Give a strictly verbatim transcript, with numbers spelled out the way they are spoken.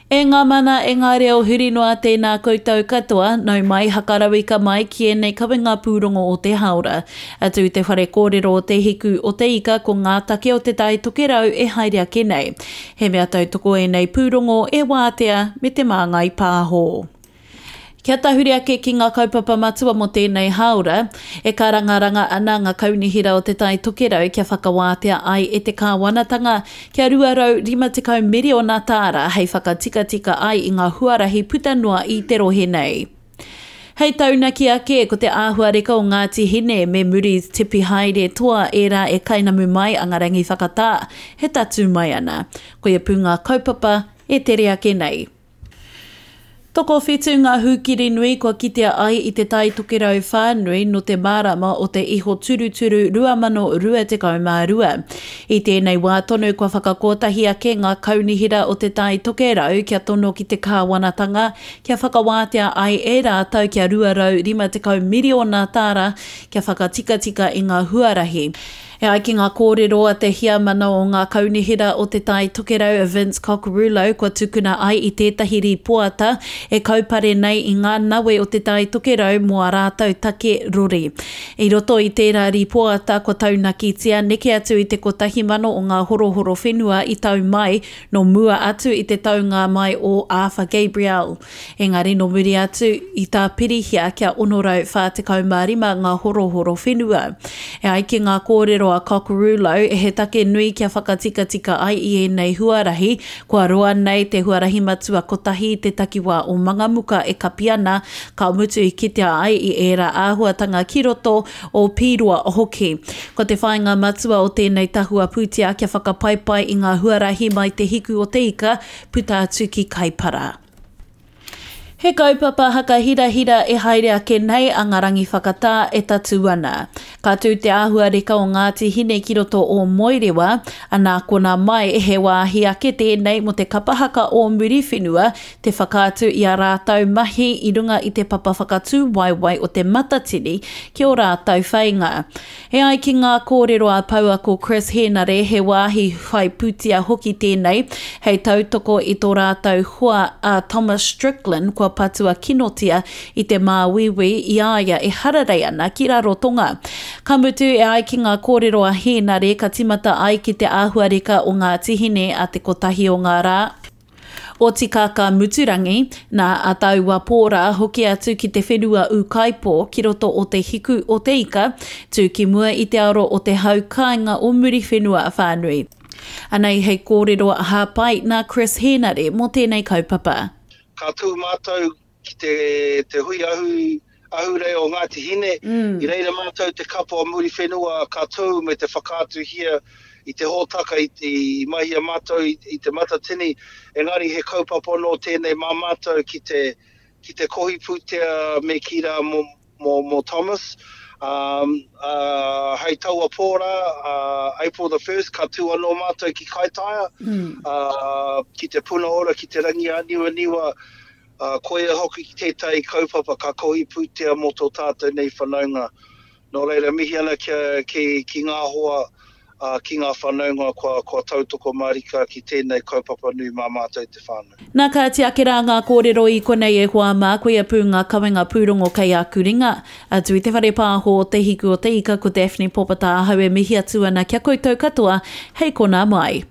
E ngā mana, e ngā reo huri noa tēnā koutou katoa, nau mai hakarauika mai ki ēnei kawenga pūrongo o te hāora. Atu i te whare kōrero o Te Hiku o Te Ika ko ngā take o Te Tai Tokerau e haere ake nei. He mea tautoko ēnei pūrongo e Wātea me Te Māngai Pāho. Kia tahuri ake ki ngā kaupapa matua mō tēnei hāora, e kārangaranga ana ngā kaunihera o Te Tai Tokerau kia whakawātea ai e te kāwanatanga kia rua rau rima tekau miriona tāra hei whakatikatika ai i ngā huarahi puta noa i te rohe nei. Hei taunaki ake, ko te āhuareka o Ngāti Hine me Muri Tipi Haere Toa ērā e kainamu mai a ngā rangi whakatā he tatū mai ana. Koia pū ngā kaupapa e tere ake nei. Tokowhitu ngā hūkiri nui kua kitea ai i Te Tai Tokerau whānui nō te marama o te iho turuturu rua mano rua tekau mā rua. I tēnei wā tonu kua whakakotahi ake ngā kaunihera o Te Tai Tokerau kia tono ki te kāwanatanga kia whakawātea ai e rātou kia rua rau rima tekau miriona tāra kia whakatikatika i ngā huarahi. E ai ki ngā kōrero a te heamana o ngā kaunihera o Te Tai Tokerau a Vince Cocurullo kua tukuna ai i tētahi rīpoata e kaupare nei i ngā nawe o Te Tai Tokerau mō ā rātou take rori. I roto i tērā rīpoata kua taunakitia neke atu i te kotahi mano o ngā horohoro whenua i tau mai nō mua atu i te taunga mai o Arthur Gabriel. Engari nō muri atu i tāpirihia kia ono rau whā tekau mā rima ngā horohoro whenua. E ai ki ngā kōrero a Cocurullo, he take nui kia whakatikatika ai i ēnei huarahi, kua roa nei te huarahi matua kotahi i te takiwā o Mangamuka e kapi ana, ka mutu i kitea ai i ērā āhuatanga ki roto o Pīroa hoki. Ko te whāinga matua o tēnei tahua pūtea kia whakapaipai i ngā huarahi mai Te Hiku o Te Ika puta atu ki Kaipara. He kaupapa hakahirahira e haere ake nei a Ngā Rangi Whakatā e tatū ana. Ka tū te āhuareka o Ngāti Hine ki roto o Moerewa, anā konā mai he wāhi ake tēnei mō te kapa haka o Muriwhenua te whakaatu i ā rātou mahi i runga i te papa whakatū waewae o Te Matatini ki ō rātou wheinga. E ai ki ngā kōrero a pouako Chris Henare he wāhi whai pūtea hoki tēnei hei tautoko i tō rātou hoa a Thomas Strickland kua patua kinotia i te māuiui i a ia e hararei ana ki Rarotonga. Ka mutu e ai ki ngā kōrero a Hēnare ka tīmata ai ki te āhuareka o Ngāti Hine a te kotahi o ngā rā o Tikaka Muturangi, nā a taua pō rā hoki atu ki te whenua ūkaipō ki roto o Te Hiku o Te Ika, tū ki mua i te aro o te hau kāinga o Muriwhenua whānui. Anei hei kōrero hāpai nā Chris Hēnare mō tēnei kaupapa. Ka tū mātou ki te, te hui ahu, ahurei o Ngāti Hine, mm. i reira mātou te kapa o Muriwhenua ka tū me te whakaatuhia i te hōtaka i, i mahia mātou i, i te Matatini, engari he kaupapa anō tēnei mā mātou ki te, ki te kohi pūtea me kī rā mō, mō, mō Thomas. Um, uh, hei taua pō rā, uh, April the first, ka tū anō mātou ki Kaitaia, mm. uh, ki te Puna Ora, ki te Rangi Āniwaniwa, uh, koia hoki ki tētahi kaupapa ka kohi pūtea mō tō tātou nei whanaunga. Nō reira, mihi ana ki, ki, ki ngā hoa, uh, ki ngā whanaunga kua, kua tautoko mārika ki tēnei kaupapa nui mā mātou te whānau. Nā kāti ake rā ngā kōrero i konei e hoa mā, koia pū ngā kawenga pūrongo kei aku ringa. Atu i te whare pāho o Te Hiku o Te Ika ko Daphne Popata ahau e mihi atu ana kia koutou katoa, hei konā mai.